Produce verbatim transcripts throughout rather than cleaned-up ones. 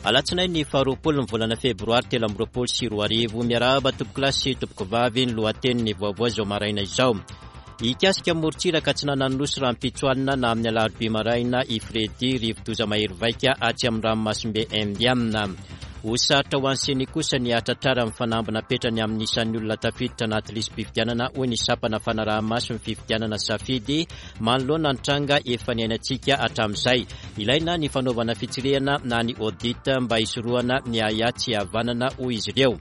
Alatsinainy faharoapolo ny volana febroary telo amby roapolo sy roa arivo. Miarahaba tompokolahy sy tompokovavy, ny lohatenin'ny vaovao izao maraina izao. Hikasika morontsiraka atsinanan'ny Nosy rahampitso alina na amin'ny alarobia maraina i Freddy, rivodoza mahery vaika atsy amin'ny ranomasimbe Indiana. Ho sarotra ho an'ny CENI kosa ny hahatratrara ny fanamby napetrany amin'ny isan'ny olona tafiditra anaty lisi-pifidianana, hoy ny sampana fanaraha-maso ny fifidianana Safidy manoloana ny tranga efa niainantsika hatramin'izay. Ilaina ny fanaovana fitsirihana na ny audit mba hisorohana ny ahiahy tsy havanana, hoy izy ireo.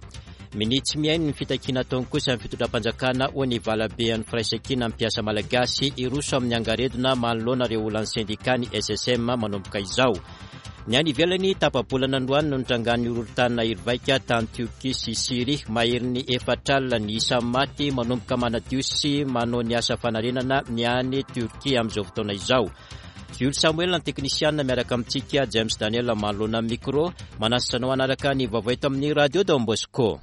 Minia tsy mihaino ny fitakiana ataony kosa ny fitondram-panjakana, hoy ny valabean'ny firaisankina ny mpiasa malagasy. Hiroso amin'ny angaredona manoloana ireo olan'ny sendika ny S S M manomboka izao. Ny any ivelany, tapa-bolana androany no nitrangan'ny horohorontany nahery vaika tany Tiorkia sy Syria. Maherin'ny efatra alina ny isan'ny maty manomboka manadio sy manao ny asa fanarenana ny any Tiorkia amin'izao fotoana izao. Jules Samuel, ny teknisiana miaraka amintsika, James Daniel manoloana ny micro. Manasa anao hanaraka ny vaovao eto amin'ny Radio Don Bosco.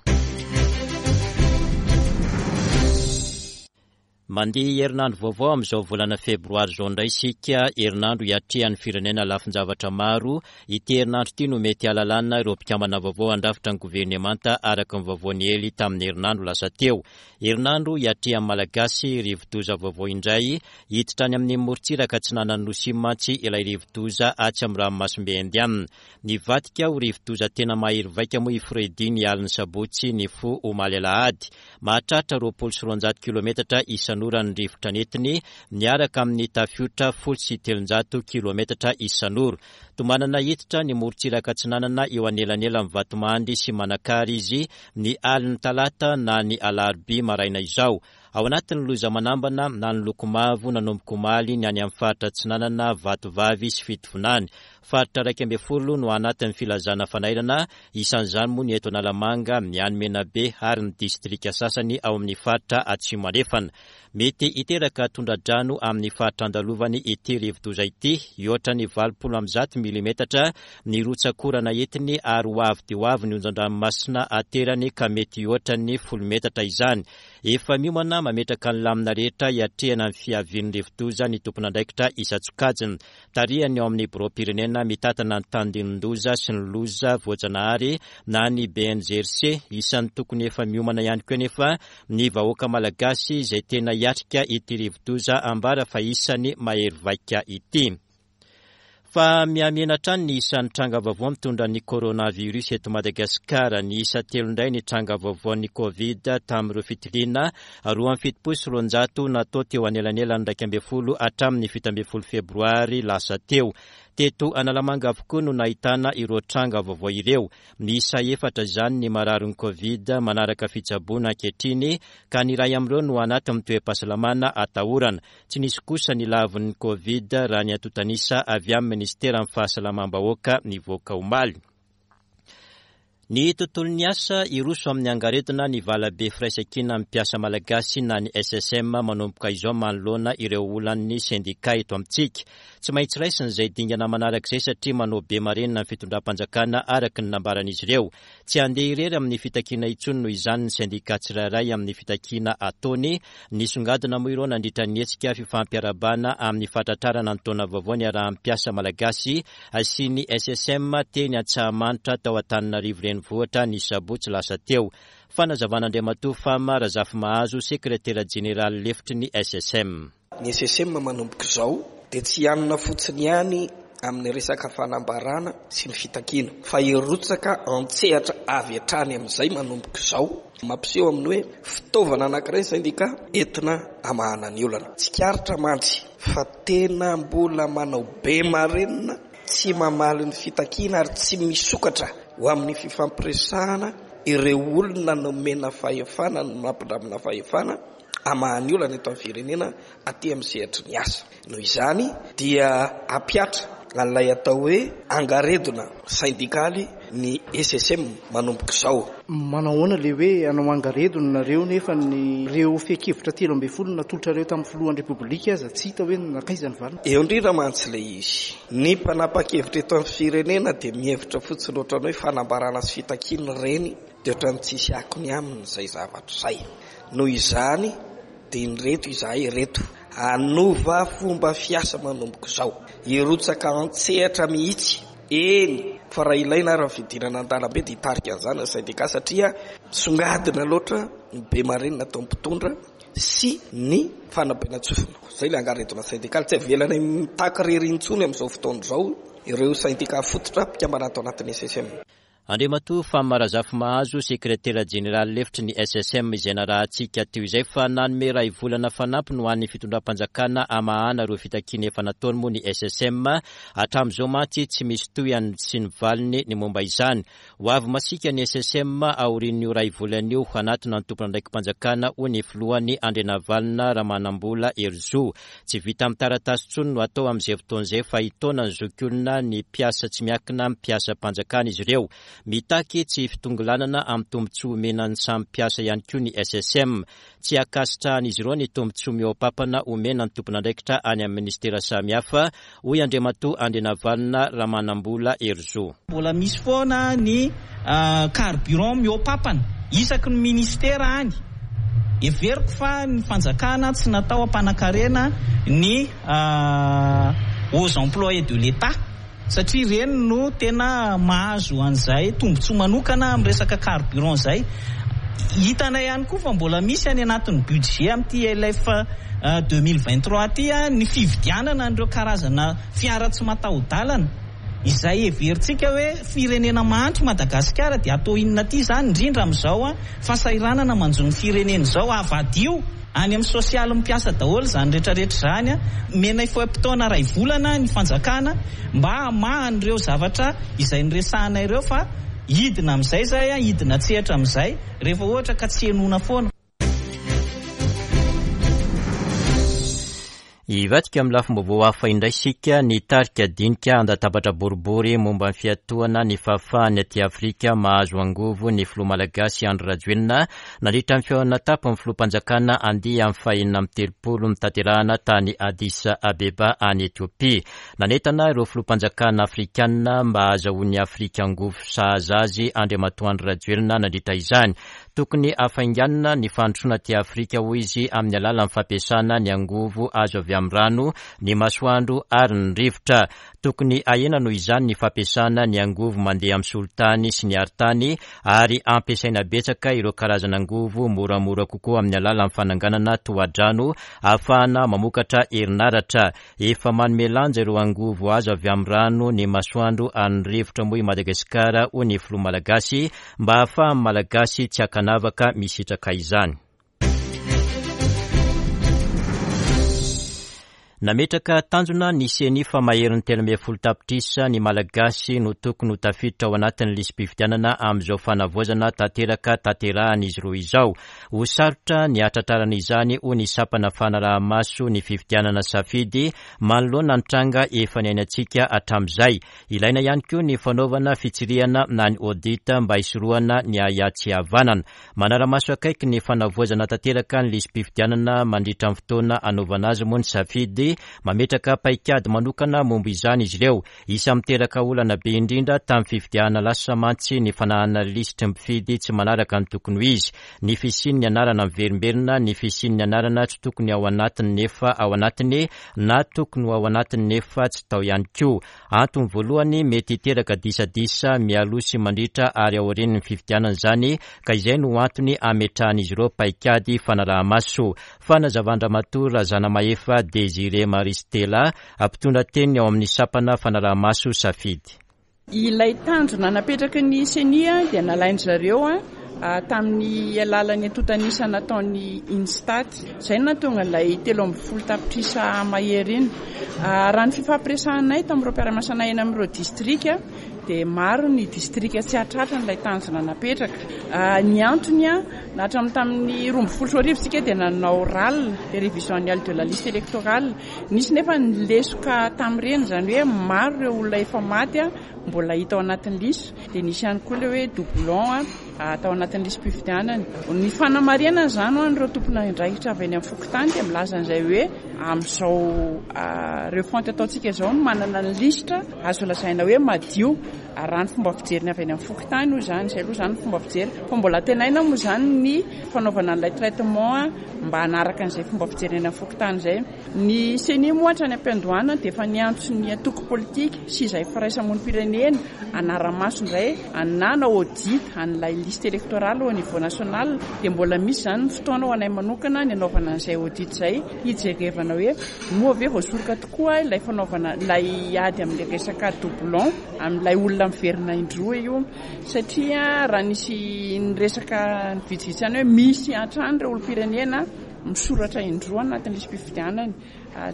Mandeha herinandro vaovao amin'izao volana febroary izao indray isika, herinandro hiatrehan'ny firenena lafin-javatra maro. Ity herinandro ity no mety hahalalana ireo mpikambana vaovao handrafitra ny governemanta araka ny vaovao niely tamin'ny herinandro lasa teo. Herinandro hiatrehan'ny Malagasy rivodoza vaovao indray, hiditra any amin'ny morontsiraka atsinanan'ny Nosy mantsy ilay rivodoza atsy amin'ny ranomasimbe Indiana. Nivadika ho rivodoza tena mahery vaika moa i Freddy ny alin'ny sabotsy nifoha omaly alahady. Mahatratra roapolo sy roanjato kilometatra isan'ora ny rivotra nentiny, miaraka amin'ny tafiotra folo sy telonjato kilometatra isan'ora. Tomanana hiditra ny morontsiraka atsinanana eo anelanelan'ny Vatomandry sy Manakara izy ny alin'ny talata na ny alarobia maraina izao. Ao anatin'ny loza manambana na ny loko mavo nanomboka omaly ny any amin'ny faritra atsinanana, Vatovavy sy Fitovinany. Faritra iraika ambin'ny folo no anatin'ny filazana fanairana, isan'izany moa ny eto Analamanga, ny any Menabe ary ny distrika sasany ao amin'ny faritra Atsimo Andrefana. Mety hiteraka tondra-drano amin'ny faritra andalovany ity rivodoza ity, hihoatra ny valopolo amby zato milimetatra ny rotsakorana entiny ary ho avy dia ho avy ny onjan-dranomasina aterany ka mety hihoatra ny folo metatra izany. Efa miomana mametraka ny lamina rehetra hiatrehana ny fiavian'ny rivodoza ny tompon'andraikitra isan-tsokajiny. Tarihany ao amin'ny biraom-pirenena mitantana ny tandindon-doza sy ny loza voajanahary na ny B N G R C. Isan'ny tokony efa miomana ihany koa nefa ny vahoaka malagasy izay tena hiatrika ity rivodoza ambara fa isan'ny mahery vaika ity. Fa mihamihena hatrany ny isan'ny tranga vaovao mitondra ny coronavirus eto Madagasikara. Ny isa telo indray ny tranga vaovaon'ny Covid tamin'ireo fitiliana roa amby fitopolo sy roanjato natao teo anelanelan'ny iraika ambin'ny folo hatramin'ny fito ambin'ny folo febroary lasa teo. Teto Analamanga avokoa no nahitana ireo tranga vaovao ireo. Miisa efatra izany ny mararin'ny Covid manaraka fitsaboana ankehitriny ka ny iray amin'ireo no anatin'ny toe-pahasalamana atahorana. Tsy nisy kosa ny lavon'ny Covid raha ny antontanisa avy amin'ny ministeran'ny fahasalamam-bahoaka nivoaka omaly. Ny tontolon'ny asa hiroso amin'ny angaredona ny valabe firaisankina amin'ny mpiasa malagasy na ny S S M manomboka izao manoloana ireo olan'ny sendika eto amintsika. Tsy maintsy raisina izay dingana manaraka izay satria manao be marenina ny fitondram-panjakana araka ny nambaran'izy ireo. Tsy handeha irery amin'ny fitakiana intsony noho izany ny sendika tsirairay amin'ny fitakiana ataony. Nisongadina moa ireo nandritra ny hetsika fifampiarahabana amin'ny fahatratrarana ny taona vaovao niarahan'ny mpiasa malagasy sy ny S S M teny Antsahamanitra tao Antananarivo renivohitra ny sabotsy lasa teo. Fanazavan'Andriamatoa Fama Razafimahazo, sekretera jeneraly lefitry ny S S M. Ny S S M manomboka izao dia tsy hianona fotsiny ihany amin'ny resaka fanambarana sy ny fitakiana fa hirotsaka an-tsehatra avy hatrany amin'izay manomboka izao. Mampiseho amin'ny hoe fitaovana anankiray sendika entina hamahana ny olana. Tsikaritra mantsy fa tena mbola manao be marenina, tsy mamaly ny fitakiana ary tsy misokatra ho amin'ny fifampiresahana ireo olona nomena fahefana, nampindramina fahefana hamaha ny olana eto amin'ny firenena aty amin'ny sehatry ny asa. Noho izany dia hampiatra an'ilay atao hoe angaredona sendikaly ny S S M manomboka izao. Manao ahoana ilay hoe hanao angaredona nareo nefa ny ireo fehin-kevitra telo ambin'ny folo natolotrareo tamin'ny filohan'ny Repoblika aza tsy hita hoe nankaiza ny valiny? Eo indrindra mantsy ilay izy. Ny mpanapa-kevitra eto amin'ny firenena dia mihevitra fotsiny ohatran'ny hoe fanambarana sy fitakiana ireny dia ohatran'ny tsisy akony aminy izay zavatra izay. Noho izany dia ireto izahay ireto hanova fomba fiasa manomboka izao. Hirotsaka an-tsehatra mihitsy eny Fa raha ilaina ary ny fidirana an-dalambe dia hitarika an'izany ny syndicat, satria songadina loatra ny be marenina atao mpitondra sy ny fanabenan-tsofina. Izay ilay angaredona syndikaly, tsy avelanay mitaky irery intsony amin'izao fotoana izao ireo syndicat fototra mpikambana ato anatin'ny S S M. Andriamatoa Fama Razafimahazo, sekretera jeneraly lefitry ny S S M izay narahantsika teo izay, fa nanome iray volana fanampiny ho an'ny fitondram-panjakana hamahana ireo fitakiana efa nataony moa ny S S M. Hatramin'izao mantsy tsy misy tohiny sy ny valiny ny momba izany. Ho avy masiaka ny S S M aorian'io iray volana io hanatona ny tompon'andraiki-panjakana, hoy ny filohany Andrianavalona Ramanambola Herizo. Tsy vita amin'ny taratasy intsony no atao amin'izay fotoana izay fa hitaona ny zokiolona ny mpiasa tsy miankina amin'ny mpiasam-panjakana izy ireo. Mitaky tsy fitongilanana amin'ny tombontsoa omena ny samy mpiasa ihany koa ny S S M. Tsy ankasitrahan'izy ireo ny tombontsoa mihoa-pampana omena ny tompon'andraikitra any amin'ny ministera samihafa, hoy Andriamatoa Andrianavalona Ramanambola Herizo. Mbola misy foana ny carburant mihoa-pampana isaky ny ministera any. Heveriko fa ny fanjakana tsy natao hampanan-karena ny aux employés de l'État, satria ireny no tena mahazo an'izay tombontsoa manokana amin'ny resaka carburant izay. Hitanay ihany koa fa mbola misy any anatin'ny budget amin'ity L F deux mille vingt-trois ity ny fividianana an'ireo karazana fiara tsy mataho-dalana izay heverintsika hoe firenena mahantra Madagasikara dia atao inona ity izany, indrindra amin'izao fahasahiranana manjo ny firenena izao. Avadio any amin'ny sosialy mpiasa daholo izany rehetrarehetra izany. Omenay fe-potoana iray volana ny fanjakana mba hamahan'ireo zavatra izay noresahana ireo, fa hidina amin'izay izay, hidina an-tsehatra amin'izay rehefa ohatra ka tsy henoina foana. Hivadika amin'ny lafim-baovao hafa indray isika. Nitarika dinika an-databatra boribory momba ny fiatohana ny fahafahan'ny aty Afrika mahazo angovo ny filoha malagasy Andry Rajoelina nandritra ny fihaonana tampony filoham-panjakana andiany amin'ny fahenina amby telopolo notanterahana tany Addis Abeba any Etiopia. Nanentana ireo filoham-panjakana afrikanina mba hahazahoan'ny Afrika angovo sahaza azy Andriamatoa Andry Rajoelina nandritra izany. Tokony hafainganina ny fandrosoana aty Afrika, hoy izy, amin'ny alalan'ny fampiasana ny angovo azo avy amin'ny rano, ny masoandro ary ny rivotra. Tokony ahena noho izany ny fampiasana ny angovo mandeha amin'ny solitany sy ny arintany, ary ampiasaina betsaka ireo karazana angovo moramora kokoa amin'ny alalan'ny fananganana tohadrano ahafahana mamokatra herinaratra. Efa manome lanja ireo angovo azo avy amin'ny rano, ny masoandro ary ny rivotra moa i Madagasikara, hoy ny filoha malagasy, mba ahafahan'ny malagasy tsy ankanavaka misitraka izany. Nametraka tanjona ny C E N I fa maherin'ny telo ambin'ny folo tapitrisa ny malagasy no tokony ho tafiditra ao anatin'ny lisi-pifidianana amin'izao fanavaozana tanteraka tanterahan'izy roa izao. Ho sarotra ny hatratrarana izany, hoy ny sampana fanaraha-maso ny fifidianana safidy manoloana ny tranga efa niainantsika hatramin'izay. Ilaina ihany koa ny fanaovana fitsirihana na ny audit mba hisorohana ny ahiahy tsy havanana. Manara-maso akaiky ny fanavaozana tanteraka ny lisi-pifidianana mandritra ny fotoana anaovana azy moa ny safidy. Mametraka paikady manokana momba izany izy ireo. Isan'ny miteraka olana be indrindra tamin'ny fifidianana lasa mantsy ny fananana lisitry ny mpifidy tsy manaraka ny tokony ho izy, ny fisian'ny anarana miverimberina, ny fisian'ny anarana tsy tokony ao anatiny nefa ao anatiny, na tokony ho ao anatiny nefa tsy tao ihany koa. Antony voalohany mety hiteraka disadisa mialoha sy mandritra ary aorian'ny fifidianana izany, ka izay no antony ametrahan'izy ireo paikady fanaraha-maso. Fanazavan-dRamatoa Razanamahefa Désiré Maristela, mpitondra teny ao amin'ny sampana fanaraha-maso safidy. Ilay tanjona napetraky ny C E N I dia nalain-dry zareo a, tamin'ny alalan'ny antontanisa nataon'ny Instat. Izay no nahatonga ilay telo ambin'ny folo tapitrisa mahery iny. Raha ny fifampiresahanay tamin'ireo mpiara-miasa eny amin'ireo distrika dia maro ny distrika tsy hahatratra an'ilay tanjona napetraka. Ny antony a, na hatramin'ny tamin'ny roa ambin'ny folo sy roa arivo isika dia nanao R A L, révision annuelle de la liste électorale. Nisy nefa ny lesoka tamin'ireny, izany hoe maro ireo olona efa maty a, mbola hita ao anatin'ny liste. Dia nisy ihany koa ilay hoe doublon a, tao anatin'ny lisi-pifidianana. Ny fanamarihana izany ho an'ireo tompon'andraikitra avy any amin'ny fokontany dia milaza an'izay hoe amin'izao refonte ataontsika izao no manana ny lisitra azo lazaina hoe madio. Raha ny fomba fijeriny avy any amin'ny fokontany hoy izany, izay aloha izany ny fomba fijery. Fa mbola antenaina moa izany ny fanaovana an'ilay traitement mba hanaraka an'izay fomba fijeriny any amin'ny fokontany izay. Ny CENI moa hatrany am-piandohana dia efa niantso ny antoko politika sy izay firaisamonim-pirenena hanara-maso indray na hanao audit an'ilay liste électorale au niveau national. Dia mbola misy izany ny fotoana ho anay manokana ny hanaovana an'izay audit izay, hijerevana hoe moa ve voasoroka tokoa ilay fanaovana ilay ady amin'ilay resaka doublon amin'ilay olona miverina indroa io, satria raha nisy niresaka ny vitsivitsy ihany hoe misy hatrany ireo olom-pirenena misoratra indroa anatin'ny lisi-pifidianana.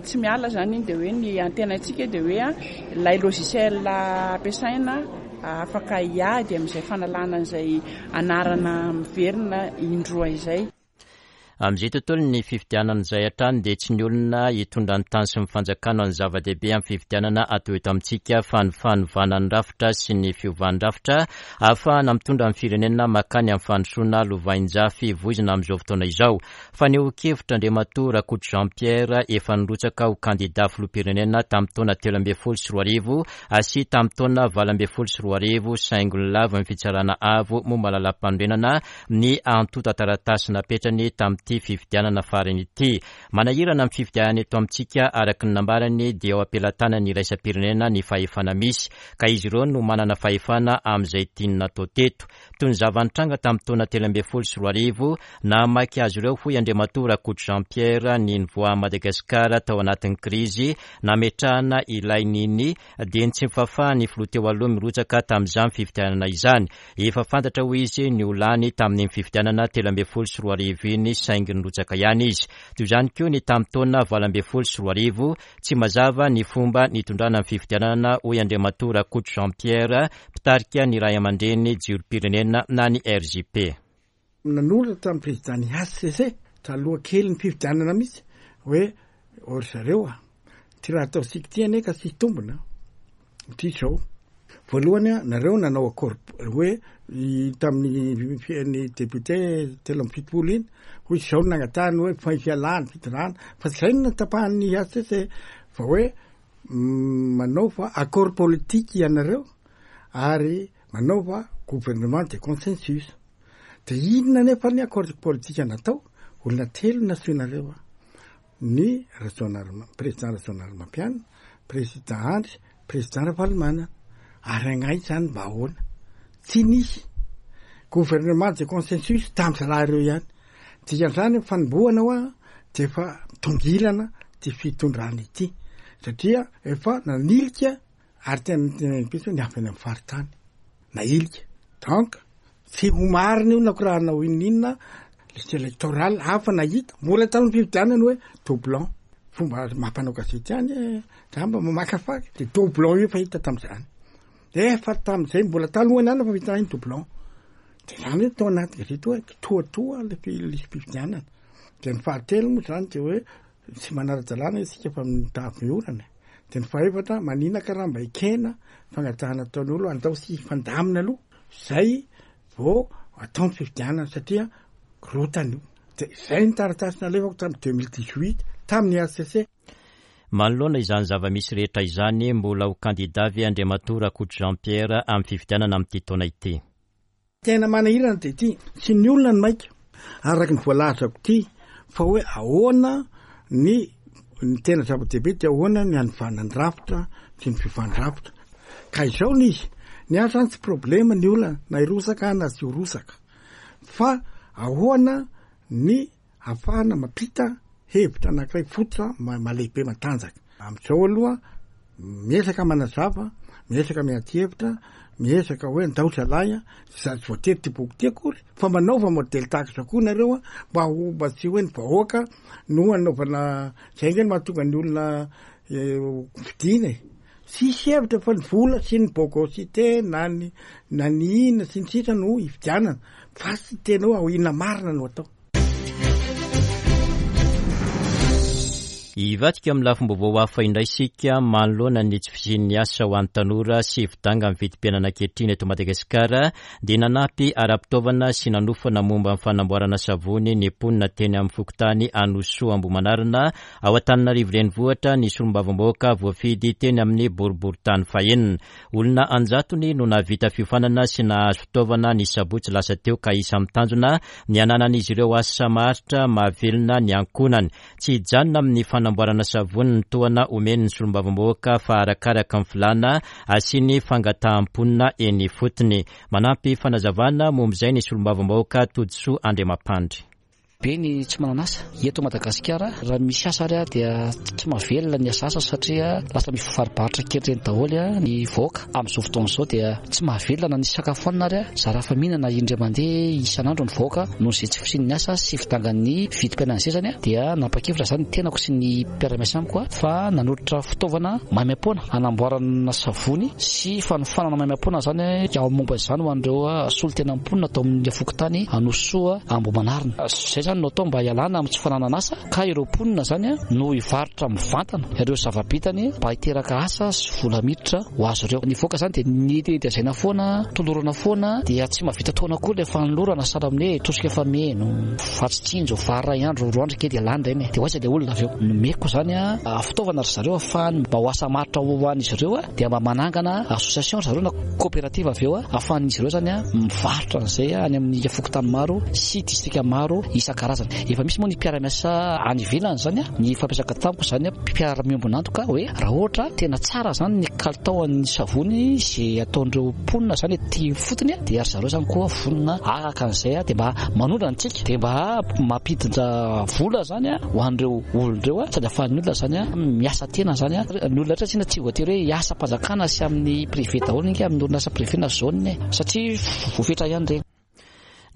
Tsy miala izany iny, dia hoe ny antenaintsika dia hoe ilay logiciel ampiasaina afaka hiady amin'izay fanalana an'izay anarana miverina indroa izay. Amin'izay tontolon'ny fifidianana izay hatrany dia tsy ny olona hitondra ny tany sy ny fanjakana ny zava-dehibe amin'ny fifidianana atao eto amintsika fa ny fanovana ny rafitra sy ny fiovan'ny rafitra ahafahana mitondra ny firenena makany amin'ny fandrosoana lovainjafy voizina amin'izao fotoana izao. Fanehoan-kevitra Andriamatoa Rakoto Jean Pierre efa nirotsaka ho kandida filoham-pirenena tamin'ny taona telo ambin'ny folo sy roa arivo sy tamin'ny taona valo ambin'ny folo sy roa arivo saingy nolavo ny fitsarana avo momba ny lalàm-panorenana ny antontan-taratasy napetrany tamin'ny ity fifidianana farany ity. Manahirana amin'ny fifidianana eto amintsika araka ny nambarany dia ao am-pelatanan'ny iraisam-pirenena ny fahefana misy ka izy ireo no manana fahefana amin'izay tiany natao teto. Toy ny zava-nitranga tamin'ny taona telo ambin'ny folo sy roa arivo nahamaky azy ireo hoy Andriamatoa Rakoto Jean Pierre ny nivoahan'i Madagasikara tao anatin'ny krizy nametrahana ilay nini dia ny tsy fahafahan'ny filoha teo aloha mirotsaka tamin'izany fifidianana izany. Efa fantatra hoy izy ny ho lany tamin'ny fifidianana telo ambin'ny folo sy roa arivo iny saingy nirotsaka ihany izy. Toy izany koa ny tamin'ny taona valo ambin'ny folo sy roa arivo tsy mazava ny fomba nitondrana ny fifidianana hoy Andriamatoa Rakoto Jean Pierre mpitarika ny ray aman-dreny jirom-pirenena na ny R J P. Nanoratra tamin'ny président ny H C C taloha kely ny fifidianana mihitsy hoe ry zareo a, ty raha ataontsika ity anie ka tsy hitombina ty izao. Voalohany a, nareo nanao accord hoe tamin'ny ny député telo amby fitopolo iny hoy izao no nangatahany hoe fa fialana fitondrana fa tsy izay no natapahan'ny H C C fa hoe manaova accord politique ianareo ary manaova gouvernement de consensus. De inona nefa ny accord politique natao? Olona telo nasioanareo a, ny Rajaonarimampianina, président Rajaonarimampianina, président Andry, président Ravalomanana. Ary agnay zany mba ahoana? Tsy nisy gouvernement de consensus tamin'ny zalahy ireo ihany. Dikan'izany fanombohana hoa de efa tongilana ty fitondrana ity satria efa nanilika ary tena tena mihitsy hoe ny avy any amin'ny faritany nahilika. Donc tsy ho marina io na ko raha hanao inona liste électorale hafa nahita mbola tamin'ny fifidianana hoe doublon. Fomba mampanao gazety ihany, za mba mamakafaky de doublon io efa hita tamin'izany. Efa tamin'izay mbola talohany ihany fa hita iny doublon. De zany hoe tao anaty gazety hoe kitoatoa le fi-, lisi-pifidianana. De ny fahatelo moa zany de hoe tsy manara-dalàna isika fa mitavy orana. De ny fahefatra manina karaha mba ekena fangatahana ataon'ny olo andao sy hifandamina aloha zay vao atao ny fifidianana satria korotana io. De zay ny taratasy nalefako tamin'ny deux mille dix-huit tamin'ny H C C. Manoloana izany zava-misy rehetra izany, mbola ho kandida ve Andriamatoa Rakoto Jean Pierre amin'ny fifidianana amin'ity taona ity? Tena manahirana dia ity, tsy ny olona no maika araka ny voalazako ity fa hoe ahoana ny, ny tena zava-dehibe dia ahoana ny hanovana ny rafitra sy ny fiovan'ny rafitra. Ka izao ny izy, ny ahy zany tsy problema ny olona na hirosaka na tsy hirosaka fa ahoana ny ahafahana mampita hevitra anankiray fototra ma-, malehibe matanjaka. Amin'izao aloha miezaka manazava, miezaka miady hevitra, miezaka hoe ndao zalahy a, sady tsy voatery ty boky ty akory fa manaova modèle tahaka izao koa nareo a, mba ho, mba tsy hoe ny vahoaka no anaovana zay nge no mahatonga ny olona, eh, fidina e. Tsisy hevitra fa ny vola sy ny bogosité na ny, na ny inona sy ny sisa no hifidianana fa tsy tena hoe inona marina no atao. Hivadika amin'ny lafim-baovao hafa indray isika manoloana ny tsy fisian'ny asa ho an'ny tanora sy fidanga amin'ny vidim-piainana ankehitriny eto Madagasikara dia nanampy ara-pitaovana sy nanofana momba ny fanamboarana savony ny mponina teny amin'ny fokontany Anosoa Ambohimanarina ao Antananarivo renivohitra ny solombavambahoaka voafidy teny amin'ny boriborintany fahenina. Olona anjatony no nahavita fiofanana sy nahazo fitaovana ny sabotsy lasa teo ka isan'ny tanjona ny hananan'izy ireo asa maharitra mahavelona ny ankohonany. Tsy hijanona amin'ny fanamboarana savony ny tohana omen'ny solombavambahoaka fa arakaraka ny filàna asiany fangataham-ponina eny ifotony. Manampy fanazavana momba izay ny solombavambahoaka Todisoa Andriamampandry. Be ny tsy manana asa eto Madagasikara. Raha misy asa ary dia tsy mahavelona ny asa asa satria lasa mifarobarotra kely ireny daholo ny vahoaka. Amin'izao fotoana izao dia tsy mahavelona na ny sakafo hanina ary zara fa mihinana indray mandeha isan'andro ny vahoaka noho izay tsy fisian'ny asa sy fidangan'ny vidim-piainana izay zany dia nampakevitra zany ny tenako sy ny mpiara-miasa amiko fa nanolotra fitaovana maimaimpoana hanamboarana savony sy fanofanana maimaimpoana zany ao momba izany ho an'ireo solontena mponina tao amin'ny fokontany Anosoa Ambohimanarina. Izay zany no atao mba hialana amin'ny tsy fananana asa ka ireo mponina zany no hivarotra mivantana ireo zava-bitany mba hiteraka asa sy vola miditra ho azy ireo. Ny voaka zany dia nitenitezaina foana, tolorana foana, dia tsy mahavita taona koa ilay fanolorana sahala amin'ny hoe tosika efa meno, vatsy tsinjo, vary iray andro, roa andro kely dia lany ireny. Dia ho aiza ilay olona avy eo? Nomeko zany fitaovana ry zareo ahafahany mba ho asa maharitra ho an'izy ireo, dia mba manangana association ry zareo na coopérative avy eo ahafahan'izy ireo zany mivarotra an'izay any amin'ny fokontany maro sy distrika maro isan-karazany. Efa misy moa ny mpiara-miasa any ivelany zany, ny fampiasaka tamiko zany mpiara-miombon'antoka hoe raha ohatra tena tsara zany ny kalitaon'ny savony izay ataon'ireo mponina zany ety fotony dia ry zareo zany koa vonona araka an'izay dia mba manondrana antsika dia mba mampiditra vola zany ho an'ireo olona ireo sady ahafahan'ny olona zany miasa tena zany. Ny olona rehetra tsy voatery hoe hiasa am-panjakana sy amin'ny privé daholo inga amin'ny orinasa privé na zone satria voafetra ihany ireny.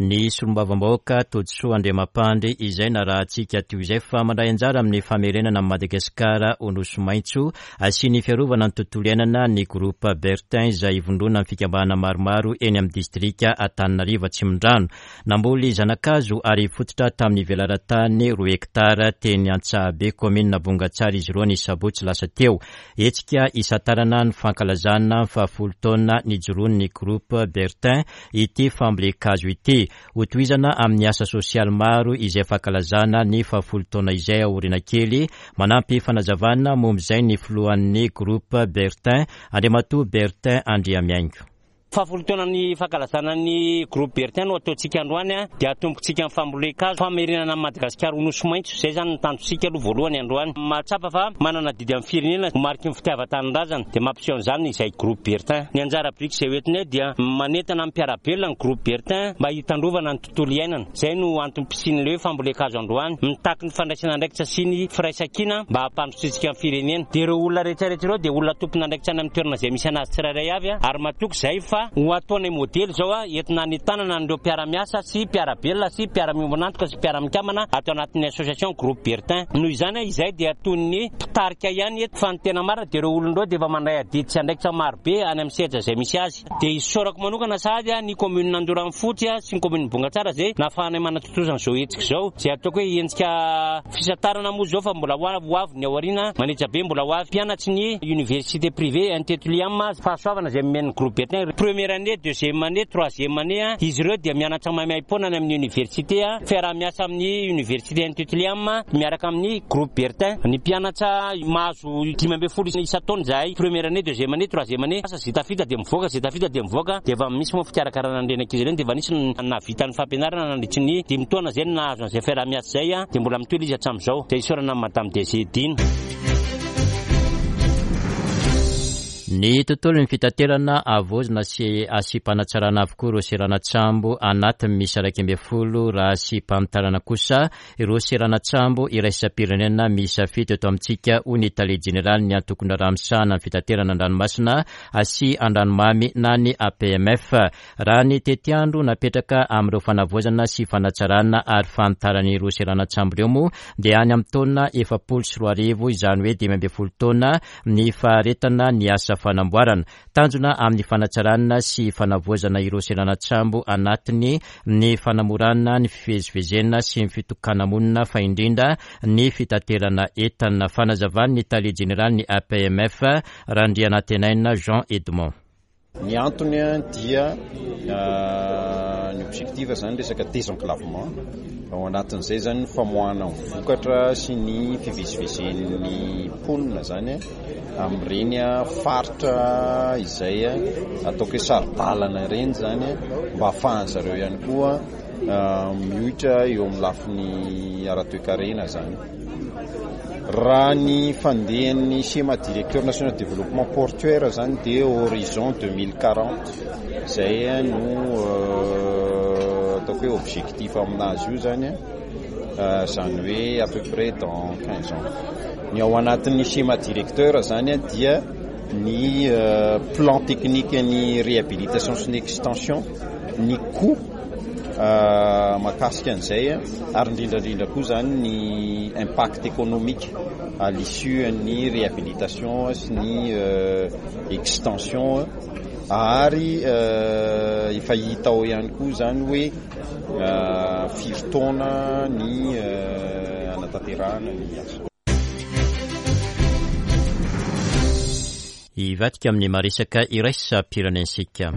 Ny solombavambahoaka Todisoa Andriamampandry izay narahantsika teo izay fa mandray anjara amin'ny famerenana amin'i Madagasikara ho nosy maitso asian'ny fiarovana ny tontolo iainana ny groupe Bertin izay ivondrona amin'ny fikambanana maromaro eny amin'ny distrika Antananarivo Atsimondrano. Namboly zanakazo ary fototra tamin'ny velaran-tany roa hektara teny Antsahabe kaominina Bongatsara izy ireo ny sabotsy lasa teo. Hetsika isantarana ny fankalazana ny fahafolo taona nijoroan'ny groupe Bertin ity fambolen-kazo ity. Hotohizana amin'ny asa sosialy maro izay fankalazana ny fahafolo taona izay aoriana kely. Manampy fanazavana momba izay ny filohan'ny groupe Bertin, Andriamatoa Bertin Andriamiaingo. Fahafolo taona ny fankalazana ny groupe Bertin no ataontsika androany dia atombotsika amin'ny fambolen-kazo famerenana amin'i Madagasikara ho nosy maitso. Izay zany ny tanjontsika aloha voalohany androany. Mahatsapa fa manana adidy amin'ny firenena ho mariky ny fitiavan-tanindrazana dia mampiseho an'izany izay groupe Bertin. Ny anjara biriky izay hoentinay dia manentana amin'ny mpiara-belona ny groupe Bertin mba hitandrovana ny tontolo iainana. Izay no antom-pisian'ilay hoe fambolen-kazo androany. Mitaky ny fandraisana andraikitra sy ny firaisankina mba hampandrosoantsika ny firenena. Dia ireo olona rehetrarehetra ireo dia olona tompon'andraikitra any amin'ny toerana izay misy anazy tsirairay avy ary matoky izay fa ho ataonay modely izao entina ny tanana an'ireo mpiara-miasa sy mpiara-belona sy mpiara-miombon'antoka sy mpiara-mikamana ato anatin'ny association groupe Bertin. Noho izany izay dia toy ny mpitarika ihany eto fa ny tena marina dia ireo olona ireo dia efa mandray adidy sy andraikitra marobe any amin'ny sehatra izay misy azy. Dia isaorako manokana sahady ny commune Andoranfotsy sy ny commune Bongatsara izay nahafahanay manatontosa an'izao hetsika izao, izay ataoko hoe hetsika fisantarana moa izao fa mbola ho avy ny aoriana manetsa be mbola ho avy. Mpianatry ny université privée Intetuliam fahasoavana izay nomen'ny groupe Bertin première année, deuxième année, troisième année izy ireo dia mianatra maimaimpoana any amin'ny université fiaraha-miasa amin'ny université Intetuliam miaraka amin'ny groupe Bertin. Ny mpianatra mahazo dimy ambin'ny folo isan-taona izahay première année, deuxième année, troisième année. Asa zay tafita dia mivoaka, zay tafita dia mivoaka dia efa misy moa fikarakarana an'ireny ankizy ireny dia efa nisy nahavita ny fampianarana nandritry ny dimy taona izay nahazo an'izay fiaraha-miasa izay dia mbola mitohy izy hatramin'izao. Dia isaorana amin'ny Madame D G Dina. Ny tontolon'ny fitaterana havaozina sy asiam-panatsarana avokoa ireo seranan-tsambo anatiny misy iraika ambin'ny folo raha asiam-panitarana kosa ireo seranan-tsambo iraisam-pirenena miisa fito eto amintsika hoy ny tale jeneraly ny antokon-draharaha misahana ny fitaterana an-dranomasina sy an-dranomamy na ny A P M F. Raha ny tetiandro napetraka amin'ireo fanavaozana sy fanatsarana ary fanitarana ireo seranan-tsambo ireo moa dia any amin'ny taona efapolo sy roa arivo, izany hoe dimy ambin'ny folo taona ny faharetana ny asa fanamboarana. Tanjona amin'ny fanatsarana sy fanavaozana ireo seranan-tsambo anatiny ny fanamorana ny fivezivezena sy ny fitokana-monina, fa indrindra ny fitaterana entana. Fanazavan'ny tale jeneraly ny A P M F, Randrianantenaina Jean Edmond. Ny antony dia ny objectif zany resaka désenclavement, ao anatin'izay zany famoahana ny vokatra sy ny fivezivezen'ny mponina zany amin'ireny faritra izay ataoko hoe saro-dalana ireny zany, mba hahafahan zareo ihany koa mioitra eo amin'ny lafiny ara-toekarena zany. Raha ny fandehan'ny schéma directeur national développement portuaire zany dia horizon deux mille quarante zay no ataoko hoe objectif aminazy io zany, zany hoe à peu près dans quinze ans. Ny ao anatin'ny schéma directeur zany dia ny plan technique ny réhabilitation sy ny extension, ny coût mahakasika an'izay, ary indrindrandrindra koa zany ny impact économique à l'issue ny réhabilitation sy ny extension, ary efa hita ao ihany koa zany hoe firy taona ny anatanterahana ny asa. Hivadika amin'ny maresaka iraisam-pirenentsika.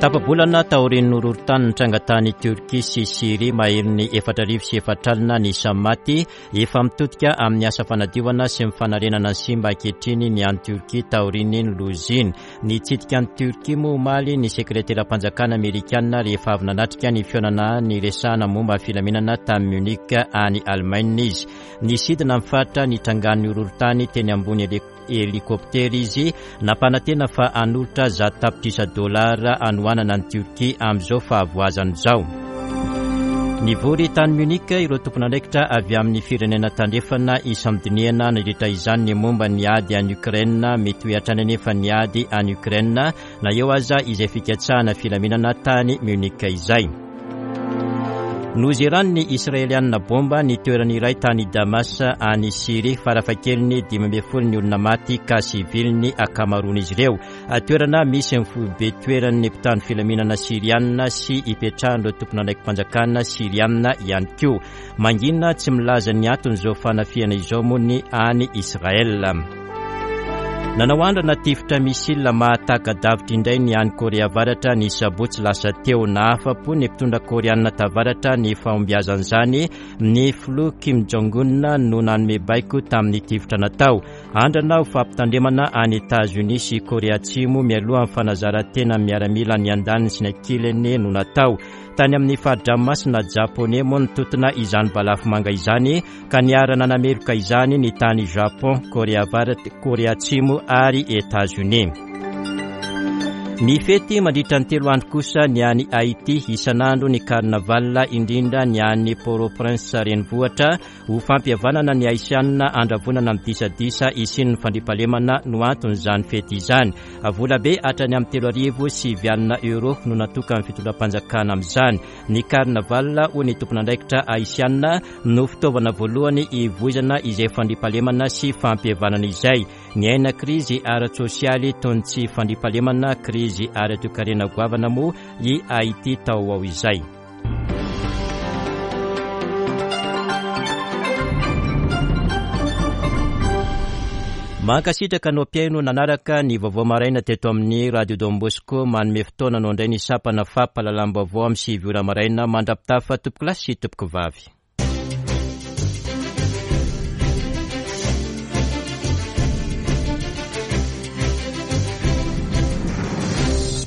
Tapa-bolana taorian'ny horohorontany nitranga tany Turkia sy Syria, maherin'ny efatra arivo sy efatra alina ny isan'ny maty, efa mitodika amin'ny asa fanadiovana sy ny fanarenana ny simba ankehitriny ny any Turkia taorian'ny loza iny. Nitsidika ny Turkia moa omaly ny sekreteram-panjakana amerikanina rehefa avy nanatrika ny fihaonana niresahana momba ny filaminana tamin'ny Munich any Allemagne izy. Nisidina amin'ny faritra nitrangan'ny horohorontany teny ambony helikoptera izy, nampanantena fa hanolotra zato tapitrisa dolara hanohanana ny Turkia amin'izao fahavoazana izao. Nivory tany Munich ireo tompon'andraikitra avy amin'ny firenena tandrefana ifampidinihana nandritra izany ny momba ny ady any Ukraine. Mety ho hatrany anefa ny ady any Ukraine na eo aza izay fikatsahana filaminana tany Munich izay. Nozeran'ny Israelianina bomba ny toerana iray tany Damas any Syria, farafahakeliny dimy ambin'ny folo ny olona maty ka sivily ny ankamaroan'izy ireo. Toerana misy ny foibe toeran'ny mpitandro filaminana sirianina sy ipetrahan'ireo tompon'andraiki-panjakana sirianina ihany koa. Mangina tsy milaza ny anton'izao fanafihana izao moa ny any Israel. Nanao andrana tifitra missile mahataka-davitra indray ny any Korea Avaratra ny sabotsy lasa teo. Nahafa-po ny mpitondra koreanina tavaratra ny fahombiazan'izany. Ny filoha Kim Jong-un no nanome baiko tamin'ny tifitra natao. Andrana ho fampitandremana any Etats-Unis sy Korea Atsimo mialoha amin'ny fanazaran-tena miaramila ny andaniny sy ny ankilany no natao. Tany amin'ny fari-dranomasina japonais moa nitontona izany balafomanga izany, ka niara-nanameloka izany ny tany Japon, Korea Avaratra, Korea Atsimo ary Etats-Unis. Ny fety mandritra ny telo andro kosa ny any Haiti, isan'andro ny carnaval, indrindra ny any Port-au-Prince renivohitra. Ho fampihavanana ny haisianina andravonana midisadisa isian'ny fandriampahalemana no anton'izany fety izany. Volabe hatrany amin'ny telo arivo sivy alina euro no natoka amin'ny fitondram-panjakana amin'izany. Ny carnaval, hoy ny tompon'andraikitra haisianina, no fitaovana voalohany ivoizana izay fandriampahalemana sy fampihavanana izay. Ny aina krizy ara-tsosialy toy ny tsy fandriampahalemana, krizy ara-toekarena goavana moa i Haiti tao ao izay. Mankasitraka anao mpihaino nanaraka ny vaovao maraina teto amin'ny Radio Don Bosco. Manome fotoana anao indray ny sampana fampahalalam-baovao amin'ny sivy ora maraina. Mandra-pitafa, tompokolahy sy tompokovavy.